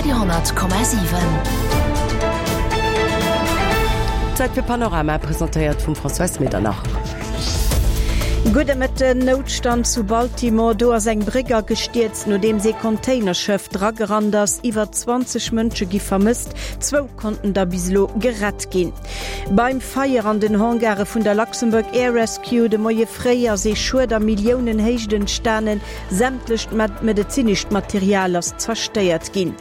Radio 10,7. Zäit fir Panorama, presentéiert vum Françoise Medernach. Gudde Mëtten. Noutstand zu Baltimore, Do ass eng Bréck agestierzt, nodeems ee Containerschëff dragerannt ass. Iwwer 20 Mënsche gi vermësst, zwou konnten der bis elo gerett ginn. Beim Feier an den Hangare vun der Luxembourg Air Rescue de Moie fréi ass ee Schued a Milliounenhéicht entstanen. Sämtlecht medezinescht Material ass zerstéiert ginn.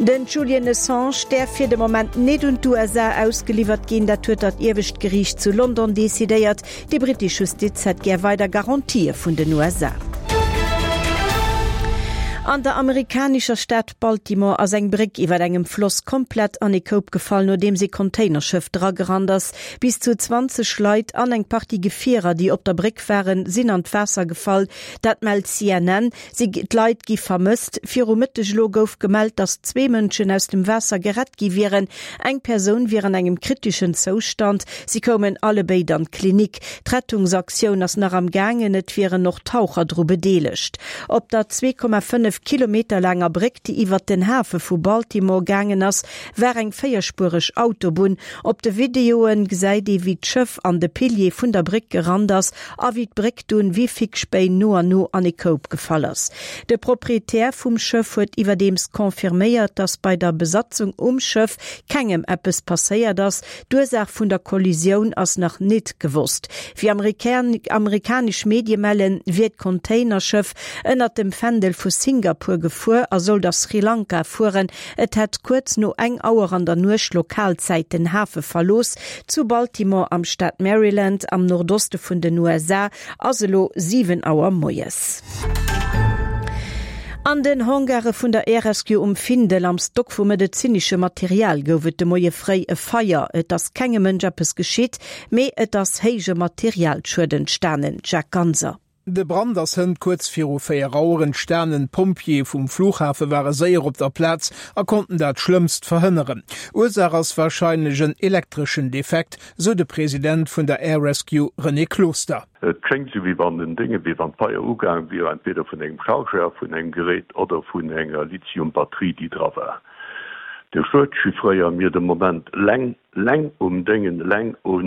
Den Julian Assange däerf fir de Moment net un d'USA ausgeliwwert ginn. Dat huet dat iewescht Geriicht zu London decidéiert. Déi brittesch Justiz hätt gär weider Garantië vun den USA. An der amerikanescher Stad Baltimore ass eng Bréck iwwer engem Floss komplett an ee Koup gefall, nodeems ee Containerschëff dragerannt ass. Bis zu 20 Leit an eng Partie Gefierer, déi op der Bréck waren, sinn an d'Waasser gefall. Dat mellt CNN. Si, d'Leit gi vermësst. Viru Mëtteg elo gouf gemellt, datt zwee Mënschen aus dem Waasser gerett gi wieren. Eng Persoun wier an engem kriteschen Zoustand. Si koumen allebéid an d'Klinik. D'Rettungsaktioun ass nach am gaangen. Et wieren och Taucher dru bedeelegt. Op der 2,5 Kilometer laanger Bréck, déi iwwert den Hafe vu Baltimore gaangen ass, war eng véierspuereg Autobunn. Op de Videoe gesäit ee wéi d'Schëff an de Pilier vun der Bréck gerannt ass a wéi d'Bréck dunn wéi Fickspéin no an no an e Koup gefall ass. De Proprietär vum Schëff huet iwwerdeems confirméiert, datt bei der Besatzung um Schëff kengem eppes passéiert ass. D'Ursaach vun der Kollisioun ass nach nit gewosst. Wéi amerikanesch Medie mellen, wier d'Containerschëff ënnert dem Fändel vu Singapur gefuer a sollt a Sri Lanka fueren. Et hätt kuerz no eng Auer an der Nuecht Lokalzäit den Hafe verlooss. Zu Baltimore am Staat Maryland am Nordoste vun den USA ass elo 7 Auer moies. An den Hangare vun der Air Rescue um Findel am Stock vu medezineschem Material gouf et de Moie fréi e Feier. Et ass kengem Mënsch eppes geschitt, mee et ass héije Materialschued entstanen. Jacques Ganser. De Brand ass hënt kuerz viru 4 Auer entstanen. D'Pompjeeë vum Flughafe ware séier op der Plaz a konnten dat Schlëmmst verhënneren. Ursaach ass warscheinlech en elektreschen Defekt, sou de President vun der Air Rescue René Closter. Et schéngt esou wéi wann den Dénge, wéi wann d'Feier ugaang wier, entweder vun engem Chargeur vun engem Gerät oder vun enger Lithium-Batterie déi dra war. De Schued chiffréiere mir de Moment leng. Leng um Déngen, eleng u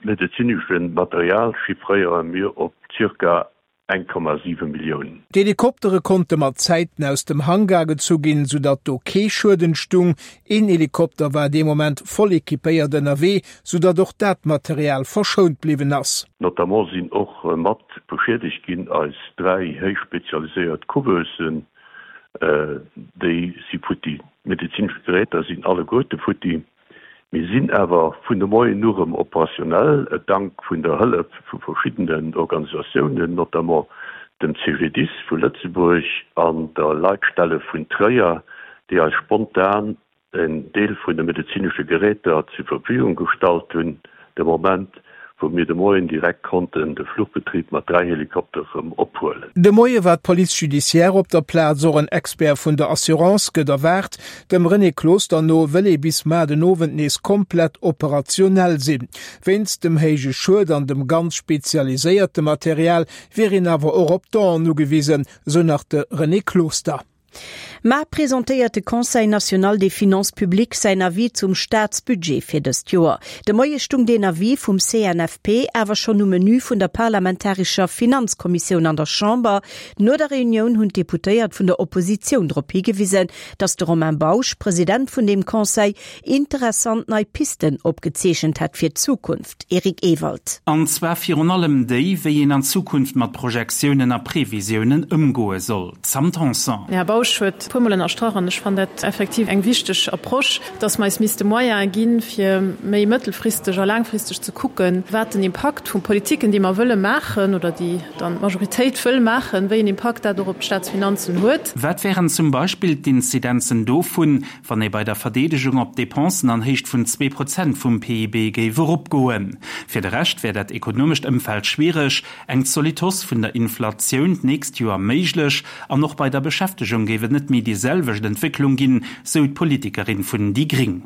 medezineschem Material chiffréiere mir op zirka 1,7 Millioun. D'Helikoptere konnte mat Zäiten aus dem Hangar gezu ginn, soudatt do kee Schued entstung. Een Helikopter war dee Moment voll equipéiert ënnerwee, soudatt och dat Material verschount bliwwen ass. Notamment sinn och mat beschiedegt ginn eis 3 héich spezialiséiert Couveusen, déi si futti. D'medezinesch Geräter sinn alleguerte futti. Mir sinn awer vun de Moien u rëm operationell, dank vun der Hëllef vu verschiddenen Organisatiounen, notamment dem CGDIS vu Lëtzebuerg an der Leitstelle vun Tréier, déi eis spontan en Deel vun de medezinesche Geräter zur Verfügung gestallt hunn, de Moment wou mir de Moien direkt konnten de Fluchbetrib mat 3 Helikopter rëm ophuelen. De Moie war d'Police judiciaire op der Plaz, och en Expert vun der Assurance gëtt erwaart. Dem René Closter no wëll ee bis mar den Owend nees komplett operationell sinn. Wéinst dem héije Schued an dem ganz spezialiséierte Material wier een awer och op Donen ugewisen, sou nach de René Closter. Mar presentéiert de Conseil national des finances publiques säin Avis zum Staatsbudget fir dëst Joer. De Moie stung deen Avis vum CNFP awer schonn um Menü vun der parlamentarescher Finanzkommissioun an der Chamber. No der Reunioun hunn d'Deputéiert vun der Oppositioun drop higewisen, datt de Romain Bausch, President vun deem Conseil, interessant nei Pisten opgezeechent hätt fir d'Zukunft. Eric Ewald. An zwar virun allem déi, wéi een an Zukunft mat Projektiounen a Previsiounen ëmgoe soll. Sam Tanson. Den Här Bausch huet e puermol ënnerstrach, an ech fannen dat effektiv eng wichteg Approche, dass mer eis misste Moyene ginn, fir méi mëttelfristeg a laangfristeg ze kucken, wat den Impakt vu Politiken, déi mer wëlle maachen oder déi dann d'Majoritéit wëll maachen, wéi en Impakt dat och op d'Staatsfinanzen huet. Wat wären zum Beispill d'Inzidenzen dovun, wann ee bei der Verdeedegung op Depensen an Héicht vun 2% vum PIB géif eropgoen. Fir de Rescht wär dat ekonomescht Ëmfeld schwiereg, eng zolidd Hausse vun der Inflatioun d'nächst Joer méiglech an och bei der Beschäftegung géif et net méi déi selwecht Entwécklung ginn, sou d'Politikerin vun déi gréng.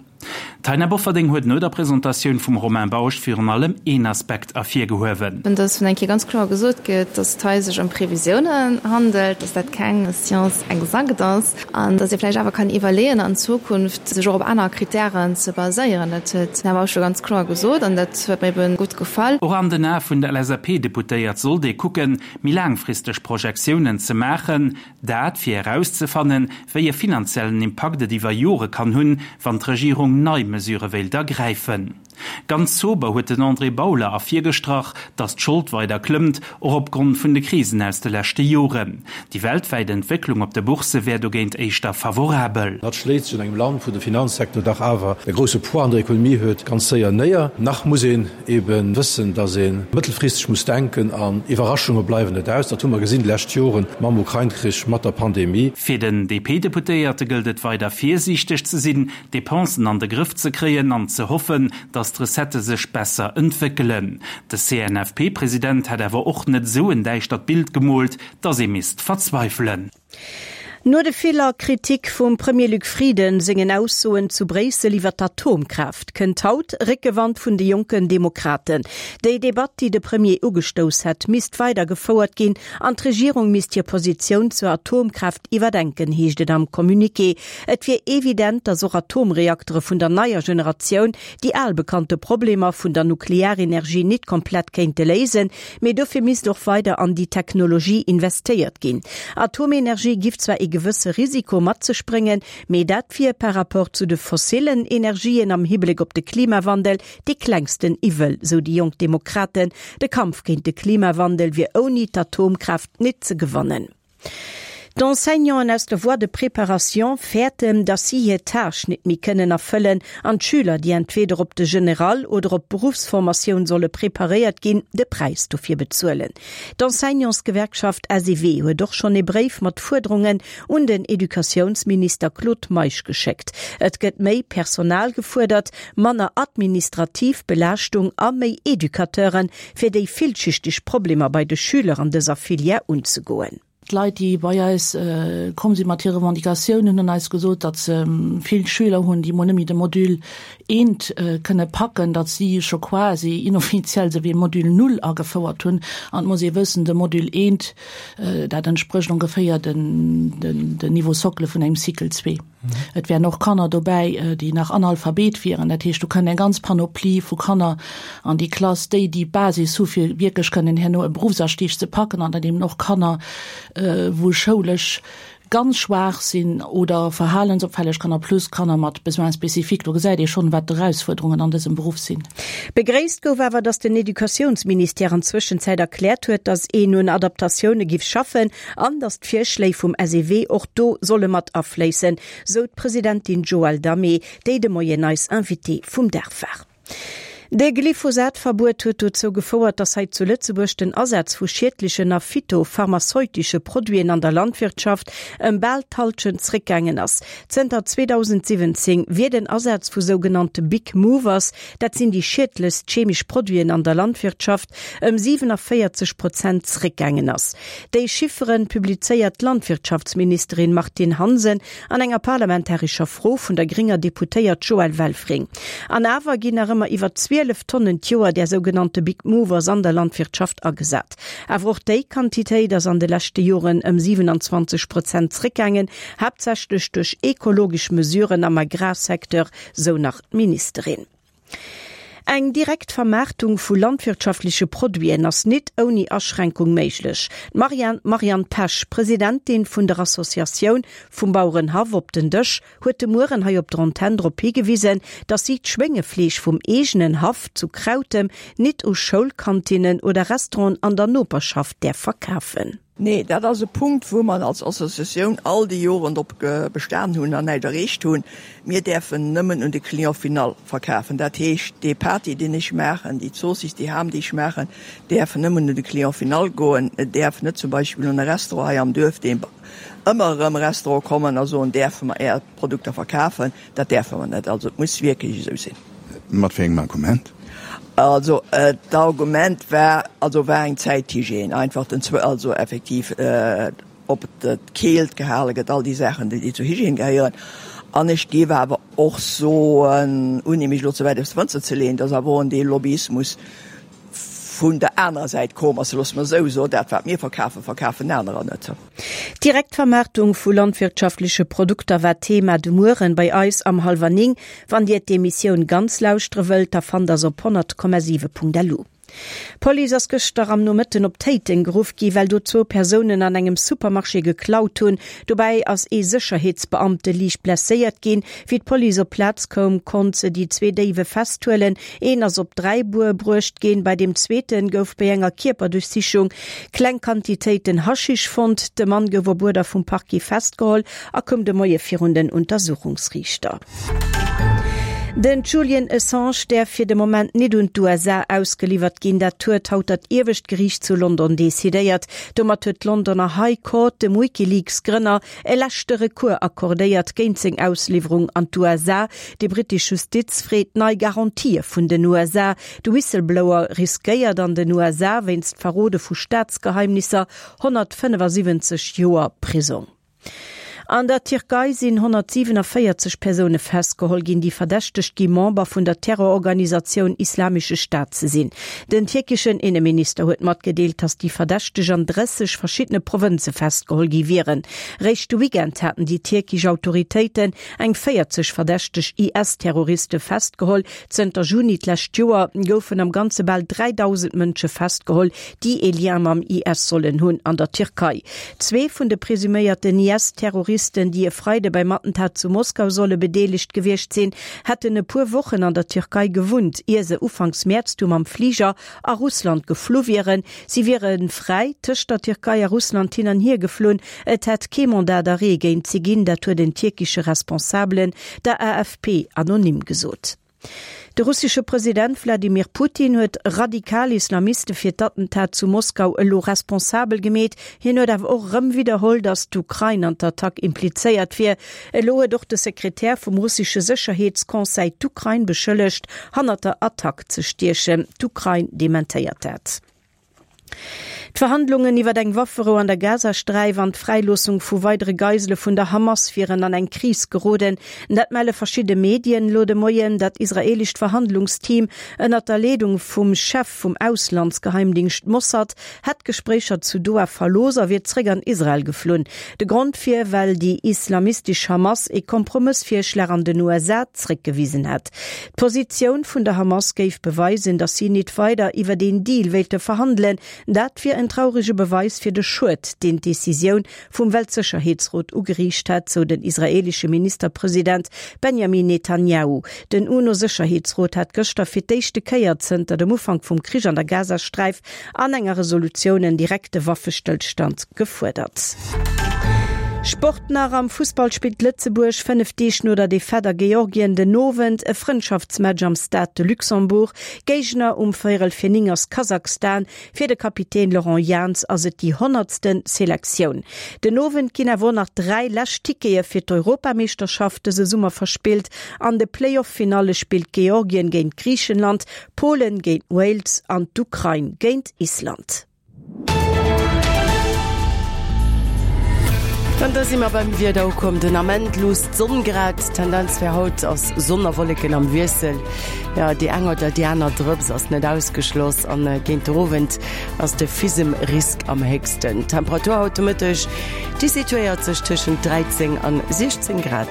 D'Taina Bofferding huet no der Presentatioun vum Romain Bausch virun allem een Aspekt ervirgehuewen. Dass vun eng Kéier ganz kloer gesot gëtt, dass et hei sech ëm Previsiounen handelt, dass dat keng Science exacte ass an dass ee vläicht awer kann iwwerleeën, an Zukunft sech och op aner Kritären ze baséieren. Dat huet den Här Bausch jo ganz kloer gesot an dat huet mir ebe gutt gefall. Och an den Ae vun der LSAP-Deputéiert sollt ee kucken, méi laangfristeg Projektiounen ze maachen, Dat fir erauszefannen, wéi e finanziellen Impakt et iwwer Jore kann hunn, wann d'Regierung nei Mesure wéilt ergräifen. Ganz sober huet den André Bauler ervirgestrach, datt d'Schold weider klëmmt, och opgrond vun de Krisen aus de leschte Joren. Déi weltwäit Entwécklung op de Boursse wär dogéint éischter favorabel. Dat schléit sech an engem Land, wou de Finanzsecteur dach awer e grousse Poids an der Ekonomie huet, ganz séier néier. Nach muss een ebe wëssen, datt ee mëttelfristeg muss denken an Iwwerraschunge bleiwen net aus. Dat hu mer gesinn déi lescht Joren mam Ukrain-Krich, mat der Pandemie. Fir den DP-Deputéierte gëllt et weider virsiichteg ze sinn, d'Depensen an de Grëff ze kréien an ze hoffen, datt d'Recettë sech besser entwéckelen. De CNFP-President hätt awer och net esou en däischtert Bild gemoolt, datt ee misst verzweifelen. No de viller Kritik vum Premier Luc Frieden sengen Aussoen zu Bréissel iwwer d'Atomkraaft, kënnt haut Réckewand vun de Jonken Demokraten. Déi Debatt, déi de Premier ugestouss hätt, misst weider gefouert ginn an d'Regierung misst hir Positioun zur Atomkraaft iwwerdenken, heescht et am Communiqué. Et wier evident, datt och Atomreaktere vun der neier Generatioun déi al bekannte Problemer vun der Nuklearenergie nit komplett kéinte léisen, Mee dofir misst och weider an déi Technologie investéiert ginn. Atomenergie giff zwar ee gewësse Risiko mat sech bréngen, mee dat wier par rapport zu de fossillen Energien am Hibléck op de Klimawandel dee klengsten Iwwel, sou déi jonk Demokraten. De Kampf géint de Klimawandel wier ouni d'Atomkraaft nit ze gewannen. D'Enseignanten aus der Voie de préparation fäerten, datt si hir Tâche nit méi kënnen erfëllen an d'Schüler, déi entweder op de General oder op d'Beruffsformatioun solle preparéiert ginn, de Präis dofir bezuelen. D'Enseignantsgewerkschaft SEW huet och schonn ee Bréif mat Fuerderungen un den Educatiounsminister Claude Meisch geschéckt. Et gëtt méi Personal gefuerdert, manner administrativ Belaaschtung a méi Educateuren, fir déi villschichteg Problemer bei de Schüler an dëser Filière unzegoen. D'Leit, déi bei eis komm si mat hire Revendicatiounen, hunn eis gesot, datt se vill Schüler hunn, déi mol net méi de Module eent kënne packen, datt si scho quasi inoffiziell esou wéi e Module null agefouert hunn. An et muss ee wëssen, de Module eent, dat entsprécht ongeféier den Niveau socle vun engem Cycle zwee. Et wären och Kanner dobäi, déi nach Analphabet wieren. Dat heescht, do kënnt eng ganz Panoplie vu Kanner an déi Klass, déi déi Basis hu fir wierklech kënnen herno e Beruffsastieg ze packen an dann eben och Kanner, wou schoulesch ganz schwaach sinn oder verhalensopfälleg Kanner plus Kanner mat Besoins spécifiques. Do gesäit ee schonn, wat d'Erausfuerderungen an dësem Beruff sinn. Begréisst gouf awer, datt den Educatiounsministère an Zwëschenzäit erkläert huet, datt een un Adaptatioune giff schaffen an datt d'Virschléi vum SEW och do solle mat afléissen, sou d'Presidentin Joëlle Damé, déi de Moien eis Invitée vum Dag war. De Glyphosat-Verbuet huet dozou gefouert, datt hei zu Lëtzebuerg den Asaz vu schiedlechen a phytopharmazeutische Produiten an der Landwirtschaft ëm bal d'Hallschent zréckgaangen ass. Zënter 2017 wier den Asaz vu sougenannte Big Movers, dat sinn déi schiedlechst chemesch Produiten an der Landwirtschaft, ëm 47 Prozent zréckgaangen ass. Déi Chifferen publizéiert d'Landwirtschaftsministerin Martine Hansen an enger parlamentarescher Fro vun der grénger Deputéiert Joëlle Welfring. An awer ginn nach ëmmer iwwer 12 Tonnen d'Joer där sougenannte Big Movers an der Landwirtschaft agesat. Awer och déi Quantitéit ass an de leschte Joren ëm 27 Prozent zréckgaangen, haaptsächlech duerch ekologesch Mesuren am Agrarsecteur, sou nach d'Ministerin. Eng direkt Vermaartung vu landwirtschaftleche Produiten ass nit ouni Aschränkung méiglech. D'Marianne Marianne Pesch, Presidentin vun der Associatioun vum Bauerenhaff op den Dësch, huet de Mueren hei op der Antenn drop higewisen, datt si d'Schwéngefleesch vum eegenen Haff zu Krautem nit u Schoulkantinnen oder Restauranten an der Noperschaft däerf verkafen. Nee, dat ass e Punkt, wou mer als Associatioun all déi Joren drop bestan hunn an näischt erreecht hunn. Mir däerfen nëmmen un de Client final verkafen. Dat heescht, dee Pâté, deen ech maachen, déi Zoossiss, déi Ham, déi ech maachen, däerfen nëmmen un de Client final goen. Et däerf net zum Beispill un e Restaurant hei am Duerf, dee ëmmer erëm Restaurant kommen a soen, däerfe mer Är Produkter verkafen. Dat däerfe mer net. Also et muss wierklech esou sinn. Mat wéi engem Argument? Also d'Argument war, also war eng Zäit d'Hygiène einfach, den Zwe, also effektiv ob d'Keelt gehale gëtt, all déi Saachen, déi zur Hygiène gehéieren. An ech géif awer. och soen, ouni mech elo ze wäit aus dem Fënster ze leeën, dass awer och en Deel Lobbyismus vun der anerer Säit komm ass, loosse mer esou soen, dat wat mir verkafen, verkafen anerer net. D'Direktvermaartung vu landwirtschaftleche Produkter war d'Thema de Mueren bei eis am Hallwer 9. Wann Dir d'Emissioun ganz lauschtere wëllt, da fannt der se op 100,7.lu. D'Police ass gëschter am Nomëtten op Téiteng geruff gi well do zwou Persounen an engem Supermarché geklaut hunn. Dobäi ass ee Sécherheetsbeamte liicht blesséiert ginn. Wéi d'Police op d'Plaz koum, konnt se déi zwee Déiwe festhuelen. Een ass op Dräibuer bruecht ginn, bei deem zweete gouf bei enger Kierperduerchsichung kleng Quantitéiten Haschisch fonnt. De Mann gouf op Uerder vum Parquet festgeholl a koum de Moie virun den Untersuchungsriichter. Den Julian Assange däerf fir de Moment nit un d'USA ausgeliwwert ginn. Dat huet haut dat iewescht Geriicht zu London decidéiert. Domat huet d'Londoner High Court dem WikiLeaks-Grënner e leschte Recours accordéiert géint seng Ausliwwerung an d'USA. Déi brittesch Justiz freet nei Garantië vun den USA. De Whistleblower riskéiert an den USA wéinst Verrode vu Staatsgeheimnisser 175 Joer Prisong. An der Tierkei sinn 147 Persoune festgeholl ginn, déi verdächtegt gi Member vun der Terrororganisatioun Islamesche Staat ze sinn. Den tierkeschen Inneminister huet matgedeelt, datt déi Verdächteg an 30 verschiddene Provënze festgeholl gi wieren. Réischt de Weekend haten déi tierkesch Autoritéiten eng 40 verdächteg IS-Terroriste festgeholl. Zënter Juni d'lescht Joer goufen am Ganze bal 3.000 Mënsche festgeholl, déi ee Lien mam IS sollen hunn an der Tierkei. Zwee vun de presuméierten IS-Terroristen, déi e Freide beim Attentat zu Moskau solle bedeelegt gewiescht sinn, hätten e puer Wochen an der Tierkei gewunnt, ier se ufanks Mäerz du mam Fliger a Russland geflu wieren. Si wiere fräi tëscht der Tierkei a Russland hin an hier geflunn. Et hätt kee Mandat d'arrêt géint si ginn, dat huet en tierkesche Responsabelen der AFP anonym gesot. De russesche President Wladimir Putin huet radikal Islamiste fir d'Attentat zu Moskau elo responsabel gemeet. Hien huet awer och erëm widderholl, datt d'Ukrain an d'Attack implizéiert wier. Elo huet och de Sekretär vum russesche Sécherheetsconseil d'Ukrain beschëllegt, hannert der Attack ze stiechen. D'Ukrain dementéiert dat. D'Verhandlungen iwwer eng Wafferou an der Gazasträif an d'Fräiloossung vu weidere Geisele vun der Hamas wieren an eng Kris geroden. Dat melle verschidde Medien elo de Moien. Dat israeelescht Verhandlungsteam ënnert der Leedung vum Chef vum Auslandsgeheimdingscht Mossad hätt d'Gespréicher zu Doha verlooss a wier zréck an Israel geflunn. De Grond wier, well déi islamistesch Hamas ee Kompromëssvirschlag an den USA zréckgewisen hätt. D'Positioun vun der Hamas géif beweisen, datt si nit weider iwwert een Deal wéilte verhandelen. Dat wier en traurege Beweis fir de Schued, deen d'Decisioun vum Weltsécherheetsrot ugeriicht hätt, sou den israeelesche Ministerpresident Benjamin Netanjahu. Den UNO-Sécherheetsrot hat gëschter fir d'éischte Kéier zënter dem Ufank vum Krich an der Gazasträif an enger Resolutioun en direkte Waffestëllstand gefuerdert. Sport nach, Am Fussball spillt Lëtzebuerg 5 Deeg no der Defaite a Georgien den Owend e Frëndschaftsmatch am Stade de Luxembourg. Géigner um véierel fir 9 ass Kasachstan. Fir de Kapitän Laurent Jans ass et déi honnertsten Selektioun. Den Owend ginn awer och nach 3 lescht Tickete fir d'Europameeschterschaft dëse Summer verspillt. An de Playoff-Finalle spillt Georgien géint Griichenland, Polen géint Wales an d'Ukrain géint Island. An da si mer beim Wieder ukomm. Den Ament luusst d'Sonn grad. D'Tendenz fir haut ass Sonn a Wolleken am Wiessel. Jo, déi eng oder déi aner Drëps ass net ausgeschloss an géint de Owend ass de Fisemrisk am héchsten. D'Temperatur haut de Mëtteg, déi situéiert sech tëschent 13 an 16 Grad.